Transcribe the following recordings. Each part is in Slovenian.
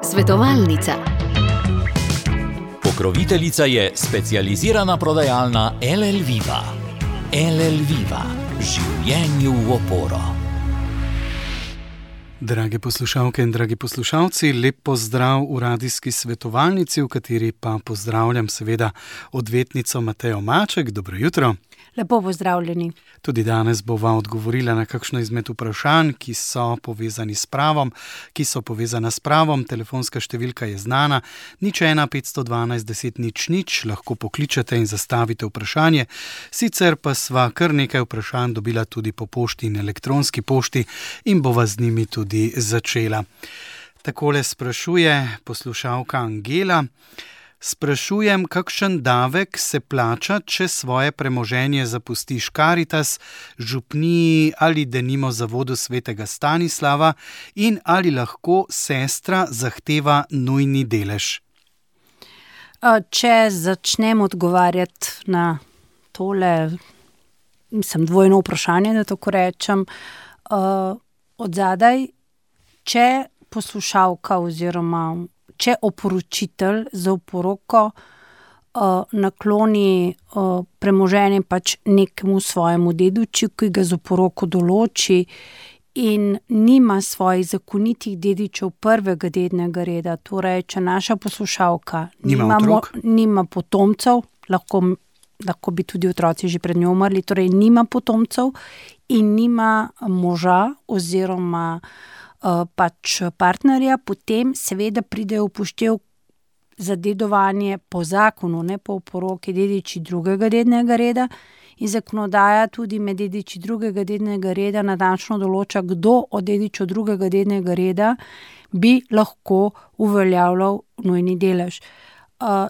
Svetovalnica. Pokroviteljica je specializirana prodajalna LL Viva. LL Viva. Življenju v oporo. Drage poslušalke in dragi poslušalci, lep pozdrav v radijski svetovalnici, v kateri pa pozdravljam seveda odvetnico Matejo Maček. Dobro jutro. Lepo pozdravljeni. Tudi danes bova odgovorila na kakšno izmed vprašanj, ki so povezani s pravom, Telefonska številka je znana, 01 512 10 00, lahko pokličete in zastavite vprašanje. Sicer pa sva kar nekaj vprašanj dobila tudi po pošti in elektronski pošti in bova z njimi tudi začela. Takole sprašuje poslušalka Angela. Sprašujem, kakšen davek se plača, če svoje premoženje zapustiš Karitas, župniji ali denimo Zavodu svetega Stanislava in ali lahko sestra zahteva nujni delež? Če začnem odgovarjati na tole, dvojno vprašanje, da tako rečem, odzadaj, če poslušalka oziroma če oporočitelj za oporoko nakloni premoženje pač nekemu svojemu dediču, ki ga z oporoko določi in nima svojih zakonitih dedičev prvega dednega reda, torej če naša poslušalka nima potomcev, lahko bi tudi otroci že pred njo umrli, torej nima potomcev in nima moža oziroma pač partnerja, potem seveda pride v upoštev za dedovanje po zakonu, ne po oporoki, dediči drugega dednega reda in zakonodaja tudi med dediči drugega dednega reda natančno določa, kdo od dedičev drugega dednega reda bi lahko uveljavljal nujni delež.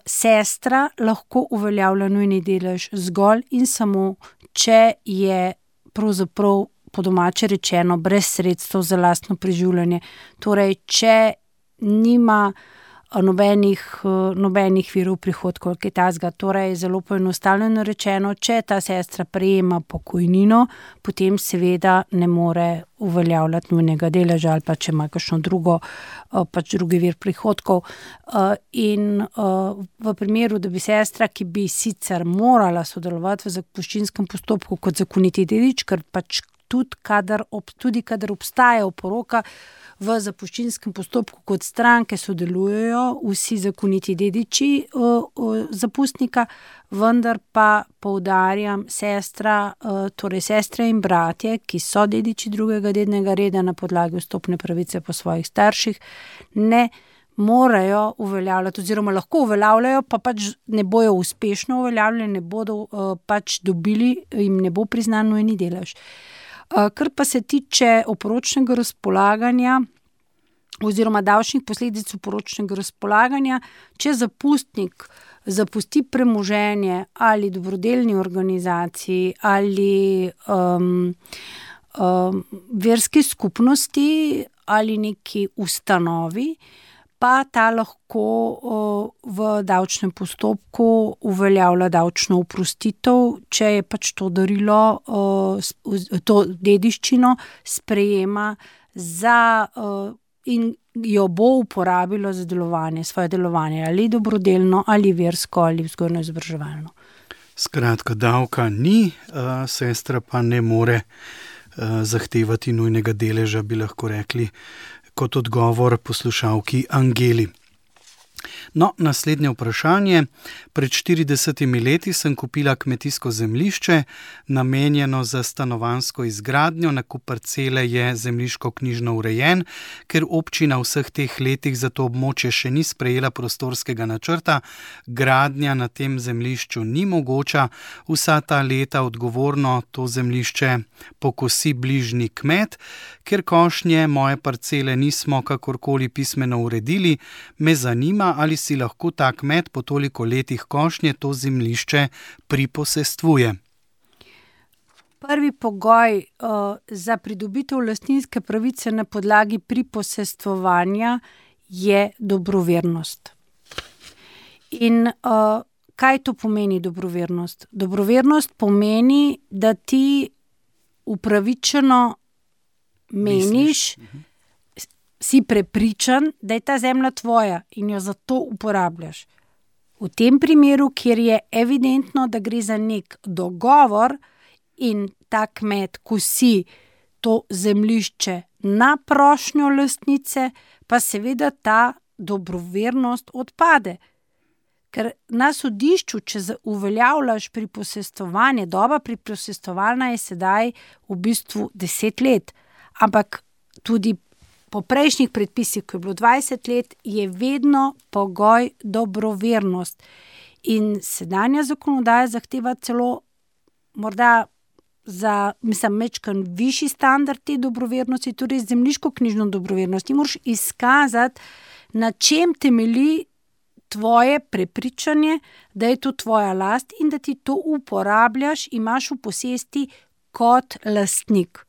Sestra lahko uveljavlja nujni delež zgolj in samo, če je pravzaprav po domače rečeno, brez sredstev za lastno preživljanje. Torej, če nima nobenih virov prihodkov, kaj takega. Torej, zelo poenostavljeno rečeno, če ta sestra prejema pokojnino, potem seveda ne more uveljavljati nujnega deleža ali pa če ima kakšno drugi vir prihodkov. In v primeru, da bi sestra, ki bi sicer morala sodelovati v zapuščinskem postopku kot zakoniti dedič, ker pač tudi kadar obstaja oporoka, v zapuščinskem postopku kot stranke sodelujejo vsi zakoniti dediči zapustnika, vendar pa poudarjam, torej sestre in bratje, ki so dediči drugega dednega reda na podlagi vstopne pravice po svojih starših, ne morajo uveljavljati oziroma lahko uveljavljajo, pa pač ne bojo uspešno uveljavljali, ne bodo pač dobili, jim ne bo priznan nujni delež. Kar pa se tiče oporočnega razpolaganja oziroma davčnih posledic oporočnega razpolaganja, če zapustnik zapusti premoženje ali dobrodelni organizaciji ali verski skupnosti ali neki ustanovi, pa ta lahko v davčnem postopku uveljavlja davčno oprostitev, če je pač to darilo, to dediščino sprejema in jo bo uporabilo za svoje delovanje, ali dobrodelno, ali versko, ali vzgojno-izobraževalno. Skratka, davka ni, sestra pa ne more zahtevati nujnega deleža, bi lahko rekli, kot odgovor poslušalki Angeli. No, naslednje vprašanje. Pred 40 leti sem kupila kmetijsko zemljišče, namenjeno za stanovanjsko izgradnjo. Nakup parcele je zemljiško-knjižno urejen, ker občina vseh teh letih za to območje še ni sprejela prostorskega načrta. Gradnja na tem zemljišču ni mogoča. Vsa ta leta odgovorno to zemljišče pokosi bližnji kmet. Ker košnje moje parcele nismo kakorkoli pismeno uredili, me zanima, ali si lahko ta kmet po toliko letih košnje to zemljišče priposestvuje. Prvi pogoj za pridobitev lastninske pravice na podlagi priposestvovanja je dobrovernost. In kaj to pomeni dobrovernost? Dobrovernost pomeni, da ti upravičeno meniš, si prepričan, da je ta zemlja tvoja in jo zato uporabljaš. V tem primeru, kjer je evidentno, da gre za nek dogovor in ta kmet kosi to zemljišče na prošnjo lastnice, pa seveda ta dobrovernost odpade. Ker na sodišču, če uveljavljaš priposestovanje, doba priposestovalna je sedaj v bistvu 10 let, ampak tudi po prejšnjih predpisih, ko je bilo 20 let, je vedno pogoj dobrovernost. In sedanja zakonodaja zahteva celo morda mečkan višji standard te dobrovernosti, torej zemljiško-knjižno dobrovernost. Ti moraš izkazati, na čem temelji tvoje prepričanje, da je to tvoja last in da ti to uporabljaš, imaš v posesti kot lastnik.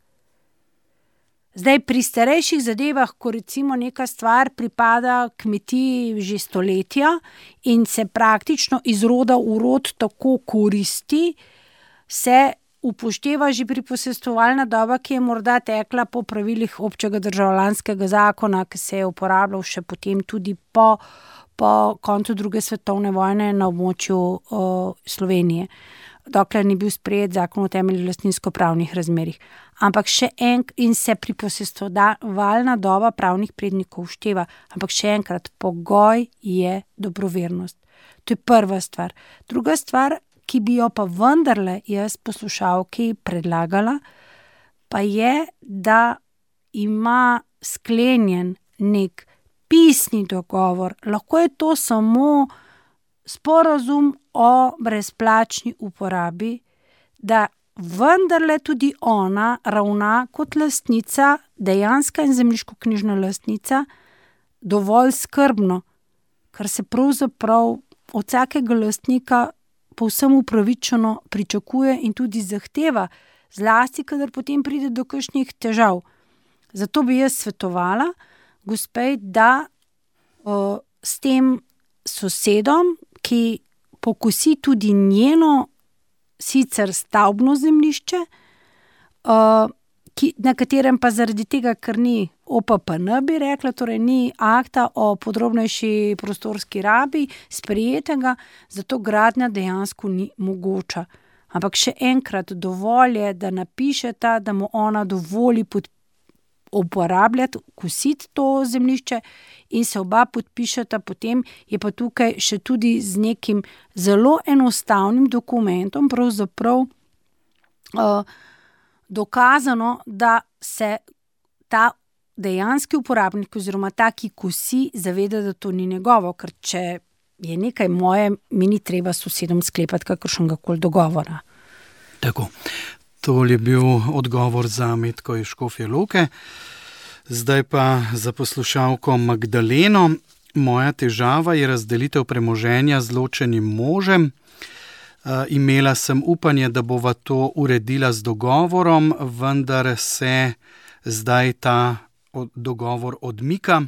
Zdaj, pri starejših zadevah, ko recimo neka stvar pripada kmetiji že stoletja in se praktično iz roda v rod tako koristi, se upošteva že priposestovalna doba, ki je morda tekla po pravilih občega državljanskega zakona, ki se je uporabljal še potem tudi po koncu druge svetovne vojne na območju Slovenije, dokler ni bil sprejet zakon o temeljih lastninsko-pravnih razmerjih. Ampak in se priposestovalna doba pravnih prednikov ušteva. Ampak še enkrat, pogoj je dobrovernost. To je prva stvar. Druga stvar, ki bi jo pa vendarle jaz poslušalki predlagala, pa je, da ima sklenjen nek pisni dogovor. Lahko je to samo sporazum o brezplačni uporabi, da vendarle tudi ona ravna kot lastnica, dejanska in zemljiško-knjižna lastnica, dovolj skrbno, kar se pravzaprav od vsakega lastnika povsem upravičeno pričakuje in tudi zahteva, zlasti, kadar potem pride do kakšnih težav. Zato bi jaz svetovala gospej, da s tem sosedom, ki pokosi tudi njeno sicer stavbno zemljišče, na katerem pa zaradi tega, ker ni OPPN, bi rekla, torej ni akta o podrobnejši prostorski rabi sprejetega, zato gradnja dejansko ni mogoča. Ampak še enkrat, dovolj je, da napišeta, da mu ona dovoli uporabljati, kositi to zemljišče in se oba podpišeta, potem je pa tukaj še tudi z nekim zelo enostavnim dokumentom pravzaprav dokazano, da se ta dejanski uporabnik oziroma ta, ki kosi, zaveda, da to ni njegovo, ker če je nekaj moje, mi ni treba s sosedom sklepati kakršnega koli dogovora. Tako. To je bil odgovor za Metko iz Škofje Loke. Zdaj pa za poslušalko Magdaleno. Moja težava je razdelitev premoženja z ločenim možem. Imela sem upanje, da bova to uredila z dogovorom, vendar se zdaj ta dogovor odmika.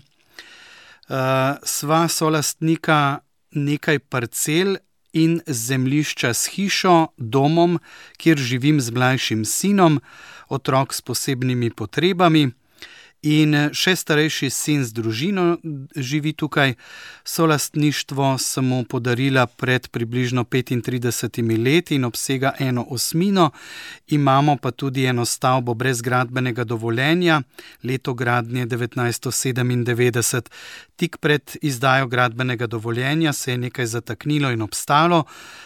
Sva solastnika nekaj parcel in zemljišča s hišo, domom, kjer živim z mlajšim sinom, otrok s posebnimi potrebami in še starejši sin z družino živi tukaj. Solastništvo sem mu podarila pred približno 35 leti in obsega 1/8. Imamo pa tudi eno stavbo brez gradbenega dovoljenja, leto gradnje 1997. Tik pred izdajo gradbenega dovoljenja se je nekaj zataknilo in obstalo.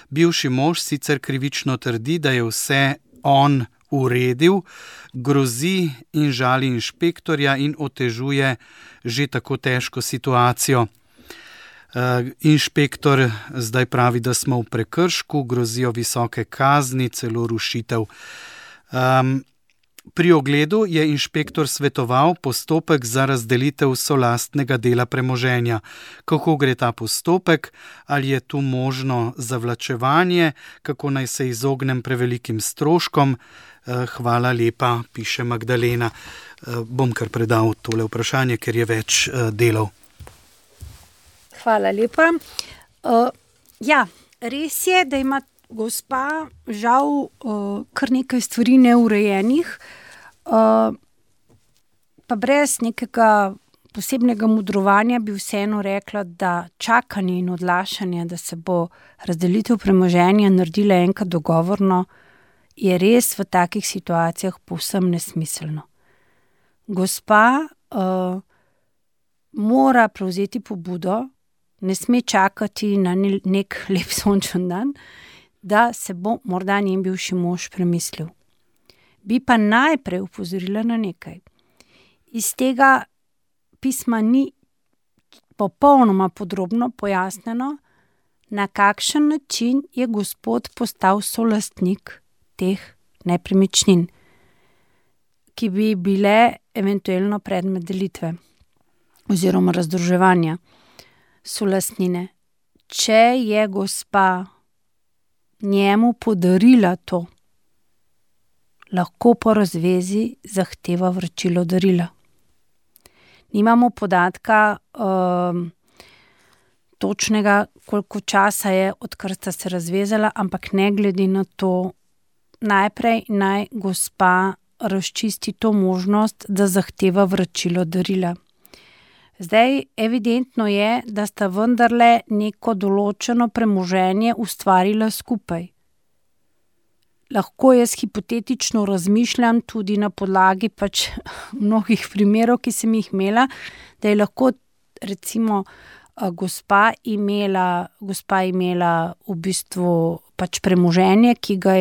Bivši mož sicer krivično trdi, da je vse on uredil, grozi in žali inšpektorja in otežuje že tako težko situacijo. Inšpektor zdaj pravi, da smo v prekršku, grozijo visoke kazni, celo rušitev. Pri ogledu je inšpektor svetoval postopek za razdelitev solastnega dela premoženja. Kako gre ta postopek? Ali je tu možno zavlačevanje? Kako naj se izognem prevelikim stroškom? Hvala lepa, piše Magdalena. Bom kar predal tole vprašanje, ker je več delov. Hvala lepa. Ja, res je, da ima gospa žal kar nekaj stvari neurejenih, pa brez nekega posebnega mudrovanja bi vseeno rekla, da čakanje in odlašanje, da se bo razdelitev premoženja naredila enkrat dogovorno, je res v takih situacijah povsem nesmiselno. Gospa mora prevzeti pobudo, ne sme čakati na nek lep sončen dan, da se bo morda njen bivši mož premislil. Bi pa najprej upozorila na nekaj. Iz tega pisma ni popolnoma podrobno pojasnjeno, na kakšen način je gospod postal solastnik teh nepremičnin, ki bi bile eventualno predmet delitve oziroma razdruževanja solastnine. Če je gospa njemu podarila to, lahko po razvezi zahteva vračilo darila. Nimamo podatka točnega, koliko časa je, odkar sta se razvezala, ampak ne glede na to, najprej naj gospa razčisti to možnost, da zahteva vračilo darila. Zdaj, evidentno je, da sta vendarle neko določeno premoženje ustvarila skupaj. Lahko jaz hipotetično razmišljam tudi na podlagi mnogih primerov, ki sem jih imela, da je lahko recimo gospa imela v bistvu premoženje, ki ga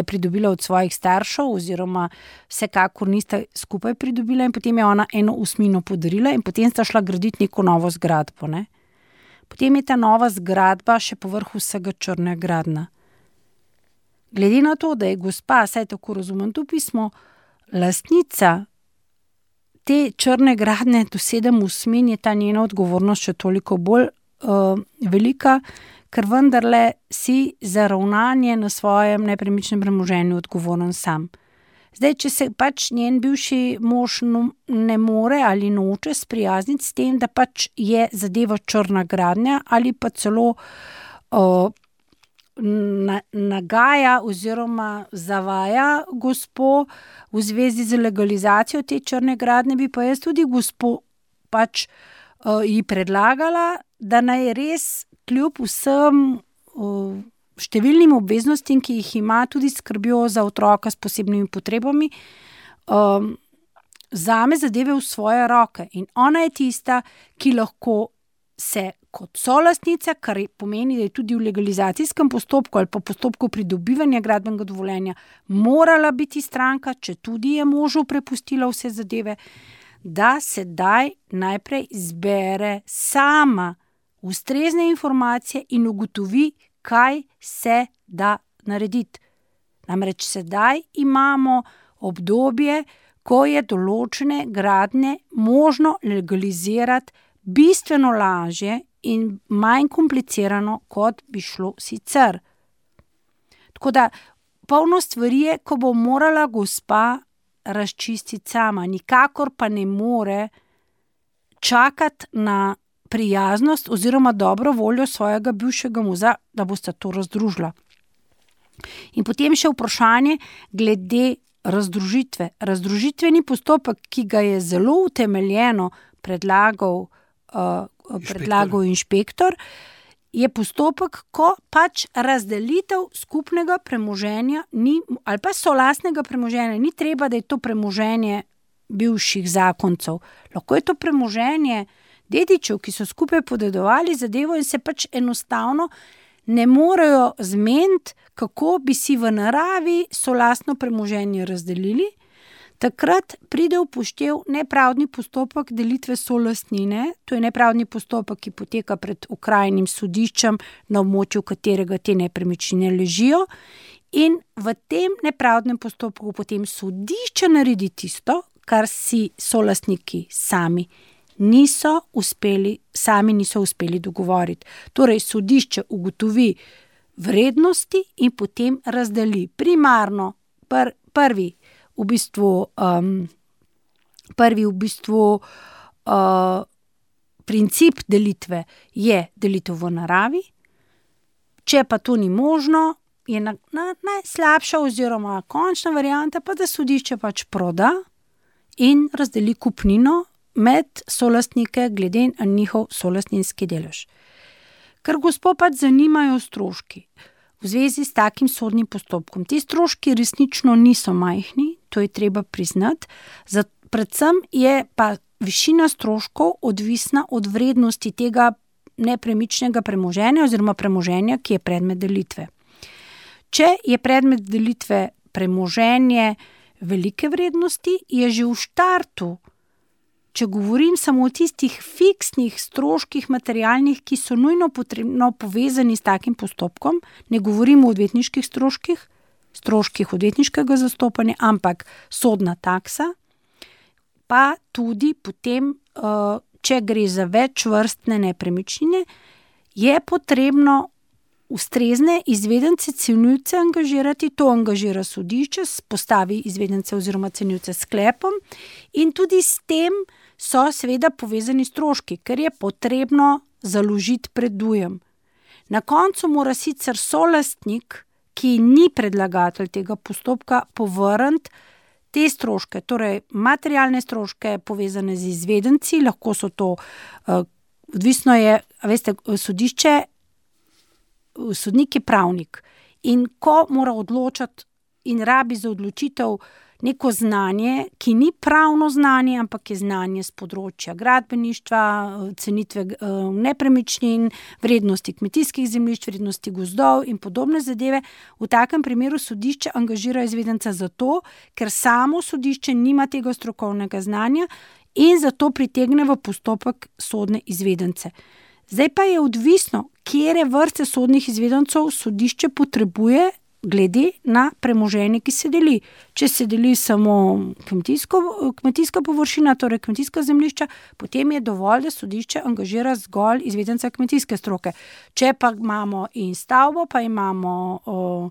je pridobila od svojih staršev oziroma vsekakor nista skupaj pridobila in potem je ona 1/8 podarila in potem sta šla graditi neko novo zgradbo. Ne? Potem je ta nova zgradba še povrh vsega črnogradna. Glede na to, da je gospa, saj tako razumem to pismo, lastnica te črne gradnje do 7/8, je ta njena odgovornost še toliko bolj velika, ker vendarle si za ravnanje na svojem nepremičnem premoženju odgovoren sam. Zdaj, če se njen bivši mož ne more ali noče sprijazniti s tem, da je zadeva črna gradnja ali pa celo nagaja oziroma zavaja gospo v zvezi z legalizacijo te črne gradnje, bi pa jaz tudi gospo ji predlagala, da naj res kljub vsem številnim obveznostim, ki jih ima, tudi skrbijo za otroka s posebnimi potrebami, vzame zadeve v svoje roke. In ona je tista, ki lahko se kot solastnica, kar pomeni, da je tudi v legalizacijskem postopku ali pa postopku pridobivanja gradbenega dovoljenja morala biti stranka, če tudi je možu prepustila vse zadeve, da sedaj najprej zbere sama ustrezne informacije in ugotovi, kaj se da narediti. Namreč sedaj imamo obdobje, ko je določene gradnje možno legalizirati bistveno lažje in manj komplicirano, kot bi šlo sicer. Tako da polno stvari je, ko bo morala gospa razčistiti sama, nikakor pa ne more čakati na prijaznost oziroma dobro voljo svojega bivšega moža, da bosta to razdružila. In potem še vprašanje glede razdružitve. Razdružitveni postopek, ki ga je zelo utemeljeno predlagal inšpektor, je postopek, ko razdelitev skupnega premoženja ni, ali pa solastnega premoženja, ni treba, da je to premoženje bivših zakoncev. Lahko je to premoženje dedičev, ki so skupaj podedovali zadevo in se enostavno ne morejo zmeniti, kako bi si v naravi solastno premoženje razdelili. Takrat pride v poštev nepravdni postopek delitve solastnine, to je nepravdni postopek, ki poteka pred okrajnim sodiščem, na območju katerega te nepremičnine ležijo, in v tem nepravdnem postopku potem sodišče naredi tisto, kar si solastniki sami niso uspeli dogovoriti. Torej, sodišče ugotovi vrednosti in potem razdeli. Primarno prvi princip delitve je delitev v naravi. Če pa to ni možno, je najslabša oziroma končna varianta pa, da sodišče proda in razdeli kupnino med solastnike glede na njihov solastninski delež. Ker gospo pač zanimajo stroški v zvezi s takim sodnim postopkom. Ti stroški resnično niso majhni, to je treba priznati, predvsem je pa višina stroškov odvisna od vrednosti tega nepremičnega premoženja oziroma premoženja, ki je predmet delitve. Če je predmet delitve premoženje velike vrednosti, je že v štartu, če govorim samo o tistih fiksnih stroških materialnih, ki so nujno potrebno povezani s takim postopkom, ne govorim o odvetniških stroških odvetniškega zastopanja, ampak sodna taksa, pa tudi potem, če gre za večvrstne nepremičnine, je potrebno ustrezne izvedence, cenilce angažirati, to angažira sodišče, postavi izvedence oziroma cenilce s sklepom in tudi s tem so seveda povezani stroški, ker je potrebno založiti predujem. Na koncu mora sicer solastnik, ki ni predlagatelj tega postopka, povrniti te stroške, torej materialne stroške povezane z izvedenci, lahko so to, odvisno je, veste, sodnik je pravnik in ko mora odločati in rabi za odločitev neko znanje, ki ni pravno znanje, ampak je znanje z področja gradbeništva, cenitve nepremičnin, vrednosti kmetijskih zemljišč, vrednosti gozdov in podobne zadeve, v takem primeru sodišče angažira izvedenca zato, ker samo sodišče nima tega strokovnega znanja in zato pritegne v postopek sodne izvedence. Zdaj pa je odvisno, katere vrste sodnih izvedencev sodišče potrebuje glede na premoženje, ki se deli. Če se deli samo kmetijska površina, torej kmetijska zemljišča, potem je dovolj, da sodišče angažira zgolj izvedenca kmetijske stroke. Če pa imamo in stavbo, pa imamo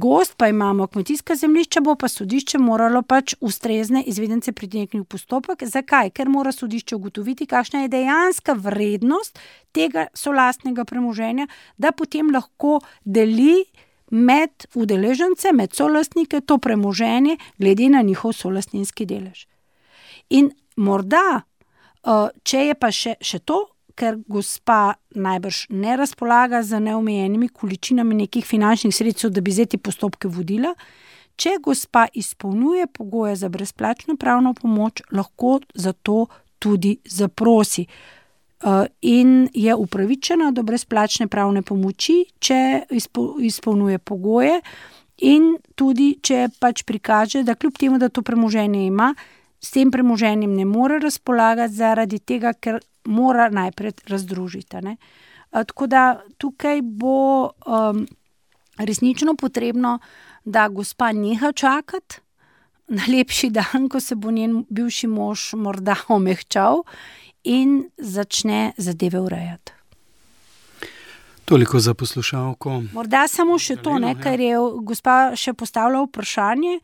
gozd, pa imamo kmetijska zemljišča, bo pa sodišče moralo pač ustrezne izvedence pritegniti v postopek. Zakaj? Ker mora sodišče ugotoviti, kakšna je dejanska vrednost tega solastnega premoženja, da potem lahko deli med udeležence, med solastnike to premoženje glede na njihov solastninski delež. In morda, če je pa še to, ker gospa najbrž ne razpolaga z neomejenimi količinami nekih finančnih sredstev, da bi zdaj te postopke vodila, če gospa izpolnjuje pogoje za brezplačno pravno pomoč, lahko za to tudi zaprosi. In je upravičena do brezplačne pravne pomoči, če izpolnjuje pogoje in tudi, če pač prikaže, da kljub temu, da to premoženje ima, s tem premoženjem ne more razpolagati zaradi tega, ker mora najprej razdružiti. Tako da tukaj bo resnično potrebno, da gospa neha čakati na lepši dan, ko se bo njen bivši mož morda omehčal in začne zadeve urejati. Toliko za poslušalko. Morda samo še to, ker je gospa še postavila vprašanje,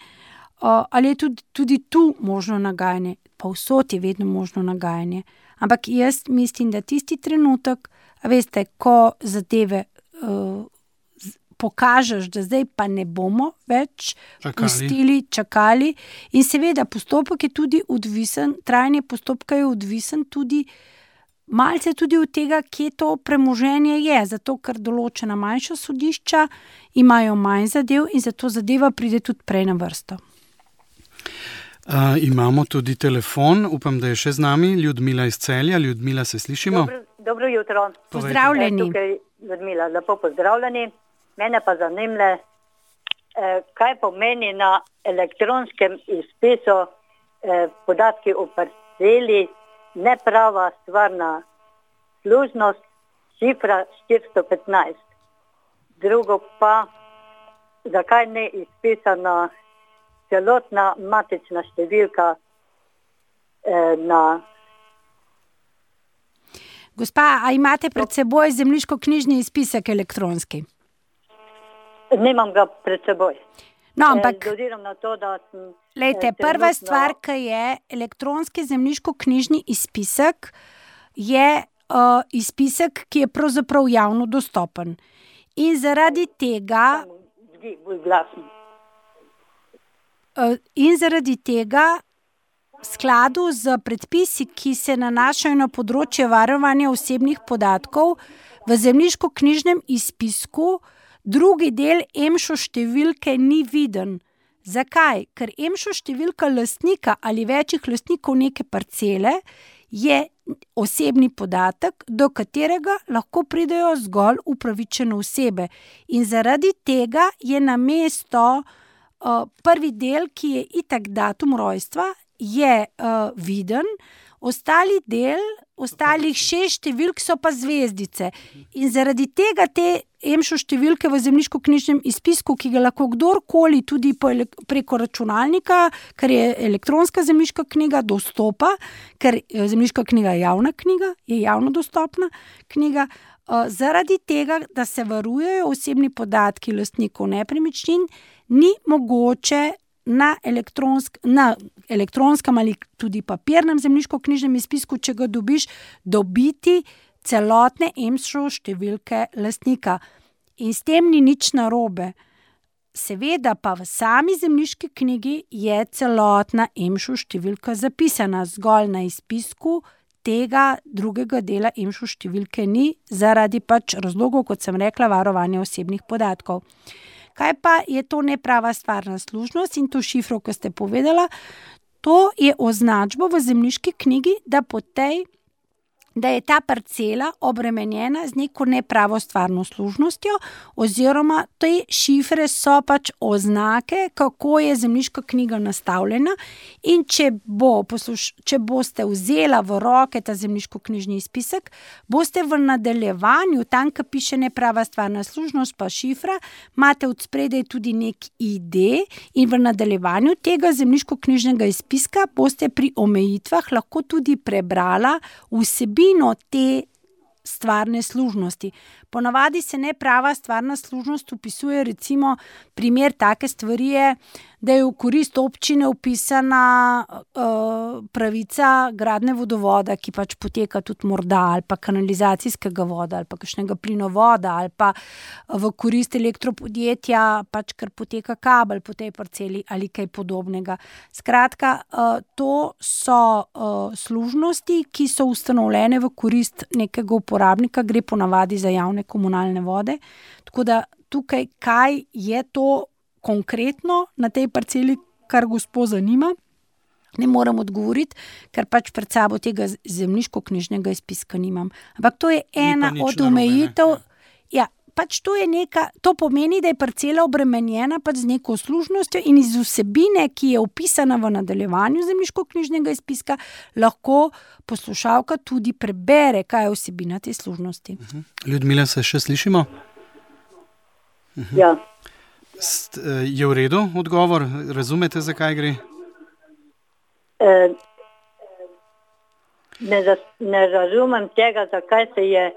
ali je tudi tu možno nagajanje. Povsod je vedno možno nagajanje. Ampak jaz mislim, da tisti trenutek, veste, ko zadeve pokažeš, da zdaj pa ne bomo več pustili, čakali. In seveda postopek je tudi odvisen, trajanje postopka je odvisen tudi malce tudi od tega, kje to premoženje je. Zato, ker določena manjša sodišča imajo manj zadev in zato zadeva pride tudi prej na vrsto. Imamo tudi telefon, upam, da je še z nami, Ljudmila iz Celja. Ljudmila, se slišimo? Dobro jutro. Pozdravljeni. Tukaj Ljudmila, lepo pozdravljeni. Mene pa zanimle, kaj pomeni na elektronskem izpisu podatki o parceli, neprava stvarna služnost, šifra 415. Drugo pa, zakaj ne izpisana celotna matična številka na... Gospa, a imate pred seboj zemljiško-knjižni izpisek elektronski? Nimam ga pred seboj. No, ampak, na to, da sem, lejte, prva stvar, ki je elektronski zemljiško-knjižni izpisek, je izpisek, ki je pravzaprav javno dostopen. In zaradi tega... Bolj glasno. In zaradi tega skladu z predpisi, ki se nanašajo na področje varovanja osebnih podatkov, v zemljiškoknjižnem izpisku drugi del EMŠO številke ni viden. Zakaj? Ker EMŠO številka lastnika ali večjih lastnikov neke parcele je osebni podatek, do katerega lahko pridejo zgolj upravičene osebe. In zaradi tega je namesto prvi del, ki je itak datum rojstva, je viden, ostalih 6 številk so pa zvezdice. In zaradi tega te EMŠO številke v zemljiškoknjižnem izpisku, ki ga lahko kdorkoli tudi preko računalnika, ker je elektronska zemljiška knjiga, dostopa, ker zemljiška knjiga je javna knjiga, je javno dostopna knjiga, zaradi tega, da se varujejo osebni podatki lastnikov nepremičnin, ni mogoče na elektronskem ali tudi papirnem zemljiškoknjižnem izpisku, če ga dobiš, dobiti celotne EMŠO številke lastnika. In s tem ni nič narobe. Seveda pa v sami zemljiški knjigi je celotna EMŠO številka zapisana, zgolj na izpisku tega drugega dela EMŠO številke ni, zaradi pač razlogov, kot sem rekla, varovanja osebnih podatkov. Kaj pa je to neprava stvarna služnost in to šifro, ko ste povedala? To je označbo v zemljiški knjigi, da je ta parcela obremenjena z neko nepravo stvarno služnostjo, oziroma te šifre so pač oznake, kako je zemljiška knjiga nastavljena, in če boste vzela v roke ta zemljiškoknjižni izpisek, boste v nadaljevanju, tam, ko piše neprava stvarna služnost pa šifra, imate od spredaj tudi nek ID in v nadaljevanju tega zemljiškoknjižnega izpiska boste pri omejitvah lahko tudi prebrala vsebino te stvarne služnosti. Ponavadi se neprava stvarna služnost vpisuje, recimo primer take stvari je, da je v korist občine vpisana pravica gradnje vodovoda, ki pač poteka tudi morda, ali pa kanalizacijskega voda, ali pa kakšnega plinovoda, ali pa v korist elektropodjetja, pač ker poteka kabel po tej parceli ali kaj podobnega. Skratka, to so služnosti, ki so ustanovljene v korist nekega uporabnika, gre ponavadi za javne komunalne vode. Tako da tukaj, kaj je to konkretno na tej parceli, kar gospo zanima, ne morem odgovoriti, ker pač pred sabo tega zemljiškoknjižnega izpiska nimam. Ampak to je ena od omejitev. Ja, pač to pomeni, da je parcela obremenjena pač z neko služnostjo in iz vsebine, ki je opisana v nadaljevanju zemljiškoknjižnega izpiska, lahko poslušalka tudi prebere, kaj je vsebina te služnosti. Ljudmila, se še slišimo? Ja. Je v redu odgovor? Razumete, zakaj gre? Ne razumem tega, zakaj se je...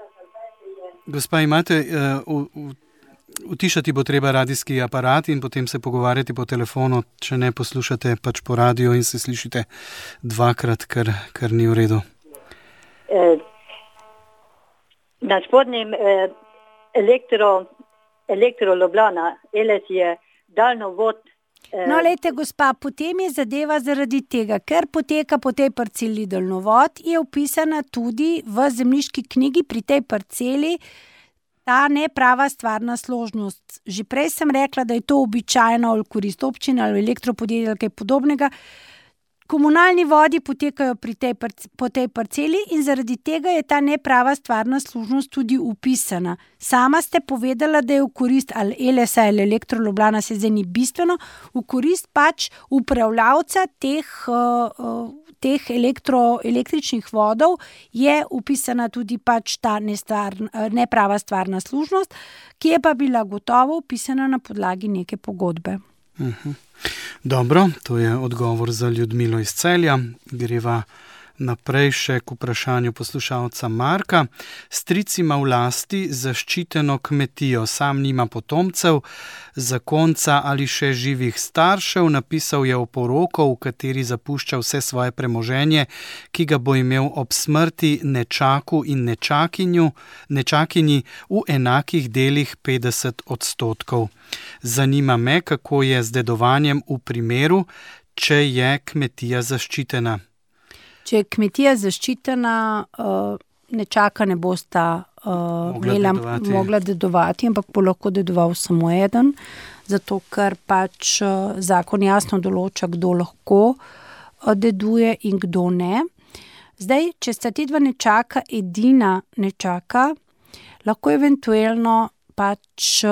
Gospa, imate, utišati bo treba radijski aparat in potem se pogovarjati po telefonu, če ne poslušate pač po radiju in se slišite dvakrat, kar ni v redu. Na spodnjem Elektro Ljubljana, ELES je daljnovod. No, lejte, gospa, potem je zadeva zaradi tega, ker poteka po tej parceli daljnovod, je vpisana tudi v zemljiški knjigi pri tej parceli ta neprava stvarna služnost. Že prej sem rekla, da je to običajno ali korist občine ali elektropodjetja ali kaj podobnega. Komunalni vodi potekajo po tej parceli in zaradi tega je ta neprava stvarna služnost tudi upisana. Sama ste povedala, da je v korist ali ELES-a ali Elektro Ljubljana, se zdaj ni bistveno, v korist pač upravljavca teh električnih vodov je upisana tudi pač ta neprava stvarna služnost, ki je pa bila gotovo upisana na podlagi neke pogodbe. Dobro, to je odgovor za Ljudmilo iz Celja. Greva naprej še k vprašanju poslušalca Marka. Stric ima v lasti zaščiteno kmetijo, sam nima potomcev, zakonca ali še živih staršev, napisal je oporoko, v kateri zapušča vse svoje premoženje, ki ga bo imel ob smrti nečaku in nečakinji v enakih delih 50%. Zanima me, kako je z dedovanjem v primeru, če je kmetija zaščitena? Če je kmetija zaščitena, nečaka ne bosta mogla dedovati, ampak bo lahko dedoval samo eden, zato ker pač zakon jasno določa, kdo lahko deduje in kdo ne. Zdaj, če sta ti dva nečaka edina nečaka, lahko eventualno pač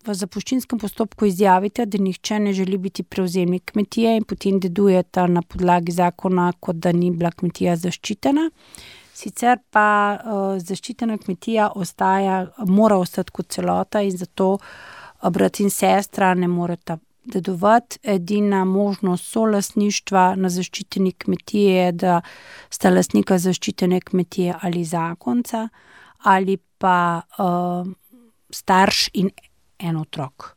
v zapuščinskem postopku izjavite, da nihče ne želi biti prevzemnik kmetije in potem dedujeta na podlagi zakona, kot da ni bila kmetija zaščitena. Sicer pa zaščitena kmetija mora ostati kot celota in zato brat in sestra ne moreta dedovati. Edina možnost solastništva na zaščiteni kmetiji je, da sta lastnika zaščitene kmetije ali zakonca ali pa starš in en otrok.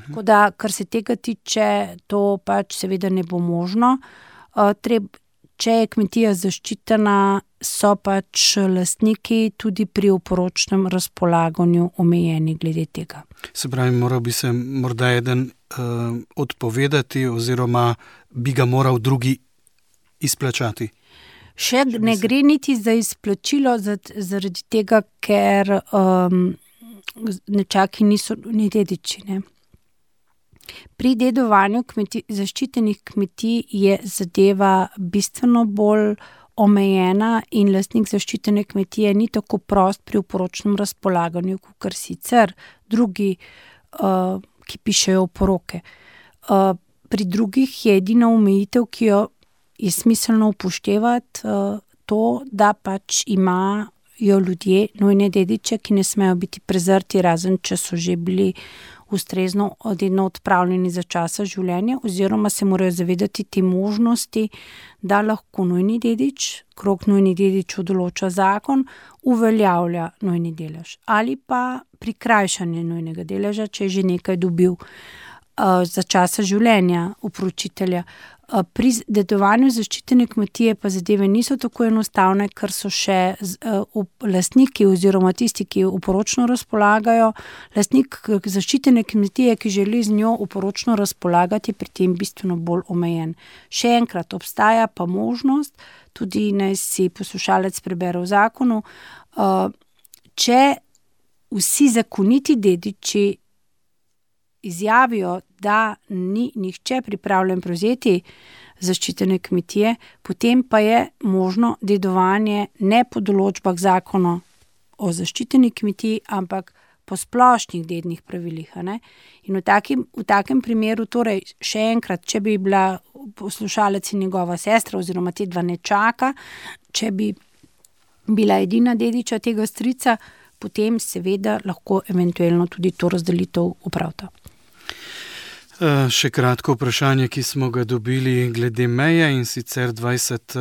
Tako da, kar se tega tiče, to pač seveda ne bo možno. Če je kmetija zaščitena, so pač lastniki tudi pri oporočnem razpolaganju omejeni glede tega. Se pravi, moral bi se morda eden odpovedati oziroma bi ga moral drugi izplačati? Še ne gre niti za izplačilo zaradi tega, ker nečaki niso ni dediči, ne. Pri dedovanju zaščitenih kmetij je zadeva bistveno bolj omejena in lastnik zaščitene kmetije ni tako prost pri oporočnem razpolaganju, kakor sicer drugi, ki pišejo oporoke. Pri drugih je edina omejitev, ki jo je smiselno upoštevati, to, da pač imajo ljudje nujne dediče, ki ne smejo biti prezrti, razen če so že bili ustrezno dedno odpravljeni za časa življenja, oziroma se morajo zavedati te možnosti, da lahko nujni dedič, krog nujnih dedičev določa zakon, uveljavlja nujni delež ali pa prikrajšanje nujnega deleža, če je že nekaj dobil za časa življenja upravičitelja. Pri dedovanju zaščitene kmetije pa zadeve niso tako enostavne, ker so še lastniki oziroma tisti, ki oporočno razpolagajo. Lastnik zaščitene kmetije, ki želi z njo oporočno razpolagati, je pri tem bistveno bolj omejen. Še enkrat, obstaja pa možnost, tudi naj si poslušalec prebere v zakonu, če vsi zakoniti dediči izjavijo, da ni nihče pripravljen prevzeti zaščitene kmetije, potem pa je možno dedovanje ne po določbah zakona o zaščiteni kmetiji, ampak po splošnih dednih pravilih. Ne? In v takem primeru, torej še enkrat, če bi bila poslušalec in njegova sestra oziroma te dva nečaka, če bi bila edina dediča tega strica, potem seveda lahko eventualno tudi to razdelitev opravita. Še kratko vprašanje, ki smo ga dobili glede meje, in sicer 20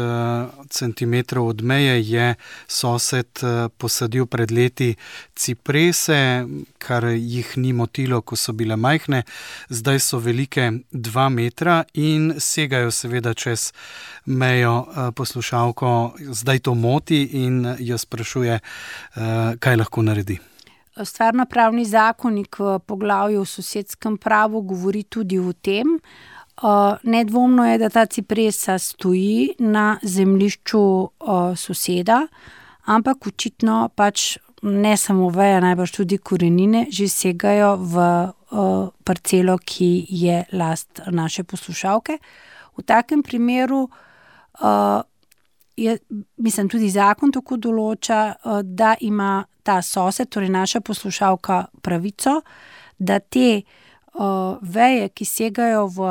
centimetrov od meje je sosed posadil pred leti ciprese, kar jih ni motilo, ko so bile majhne, zdaj so velike 2 metra in segajo seveda čez mejo. Poslušalko zdaj to moti in jo sprašuje, kaj lahko naredi. Stvarnopravni zakonik v poglavju o sosedskem pravu govori tudi o tem. Nedvomno je, da ta cipresa stoji na zemljišču soseda, ampak očitno pač ne samo veje, najbrž tudi korenine že segajo v parcelo, ki je last naše poslušalke. V takem primeru tudi zakon tako določa, da ima ta sosed, torej naša poslušalka, pravico, da te veje, ki segajo v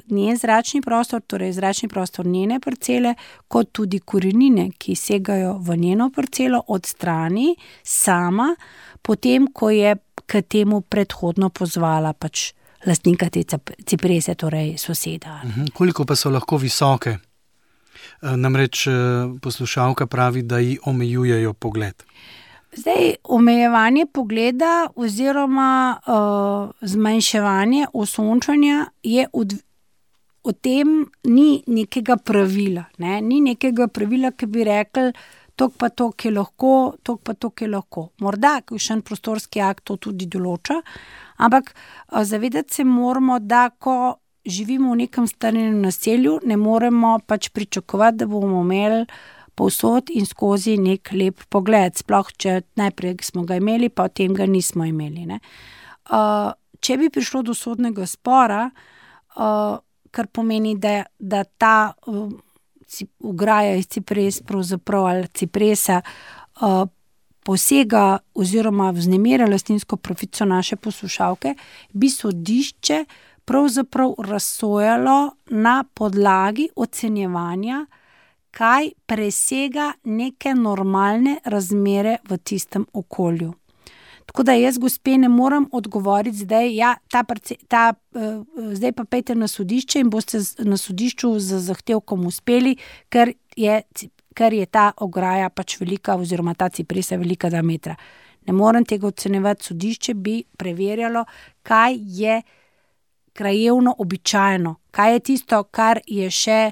njen zračni prostor, torej zračni prostor njene parcele, kot tudi korenine, ki segajo v njeno parcelo, odstrani sama, potem, ko je k temu predhodno pozvala pač lastnika te ciprese, torej soseda. Koliko pa so lahko visoke? Namreč poslušalka pravi, da ji omejujejo pogled. Zdaj, omejevanje pogleda oziroma zmanjševanje osončanja je o tem ni nekega pravila. Ne? Ni nekega pravila, ki bi rekli, toliko pa toliko je lahko, toliko pa toliko je lahko. Morda kakšen prostorski akt to tudi določa, ampak zavedati se moramo, da ko živimo v nekem strnjenem naselju, ne moremo pač pričakovati, da bomo imeli povsod in skozi nek lep pogled, sploh če najprej smo ga imeli, pa potem ga nismo imeli. Ne. Če bi prišlo do sodnega spora, kar pomeni, da ta ograja iz cipres pravzaprav ali cipresa posega oziroma vznemirja lastninsko pravico naše poslušalke, bi sodišče pravzaprav razsojalo na podlagi ocenjevanja, kaj presega neke normalne razmere v tistem okolju. Tako da jaz, gospe, ne morem odgovoriti zdaj, zdaj pa pejte na sodišče in boste na sodišču z zahtevkom uspeli, ker je ta ograja pač velika oziroma ta cipresa velika 2 metra. Ne morem tega ocenjevati, sodišče bi preverjalo, kaj je krajevno običajno, kaj je tisto, kar je še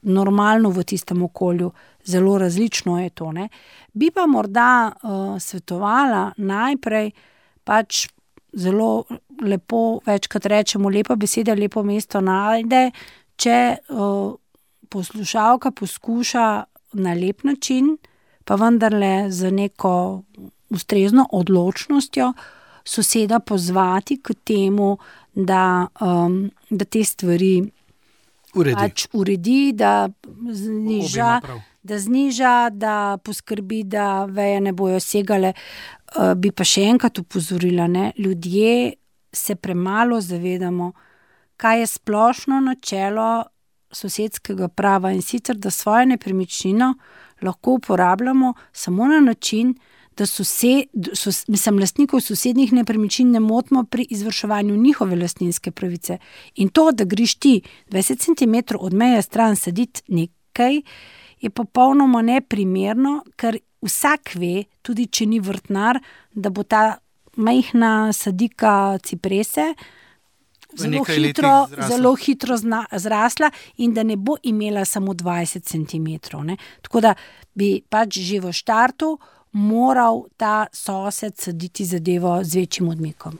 normalno v tistem okolju. Zelo različno je to, ne. Bi pa morda svetovala najprej pač zelo lepo, večkrat rečemo, lepa beseda, lepo mesto najde, če poslušalka poskuša na lep način, pa vendarle z neko ustrezno odločnostjo soseda pozvati k temu, da te stvari uredi, da zniža, da poskrbi, da veje ne bojo segale. Bi pa še enkrat opozorila, ne, ljudje se premalo zavedamo, kaj je splošno načelo sosedskega prava, in sicer, da svojo nepremičnino lahko uporabljamo samo na način, da lastnikov sosednjih nepremičnin ne motimo pri izvrševanju njihove lastninske pravice. In to, da greš ti 20 cm od meje stran saditi nekaj, je popolnoma neprimerno, ker vsak ve, tudi če ni vrtnar, da bo ta majhna sadika ciprese zelo hitro zrasla in da ne bo imela samo 20 cm. Ne. Tako da bi pač že v štartu moral ta sosed saditi zadevo z večjim odmikom.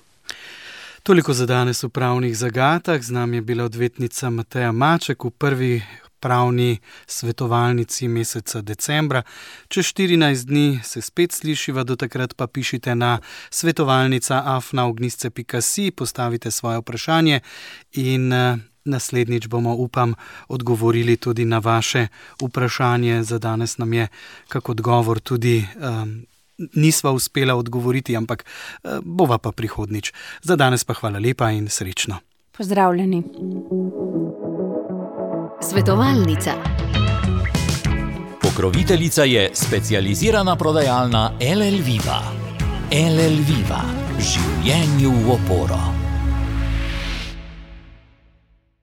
Toliko za danes v pravnih zagatah. Z nami je bila odvetnica Mateja Maček v prvi pravni svetovalnici meseca decembra. Čez 14 dni se spet slišiva, do takrat pa pišite na svetovalnica@ognisce.si, postavite svoje vprašanje in naslednjič bomo, upam, odgovorili tudi na vaše vprašanje. Za danes nam je kak odgovor tudi nisva uspela odgovoriti, ampak bova pa prihodnič. Za danes pa hvala lepa in srečno. Pozdravljeni. Svetovalnica. Pokroviteljica je specializirana prodajalna LL Viva. LL Viva. Življenju v oporo.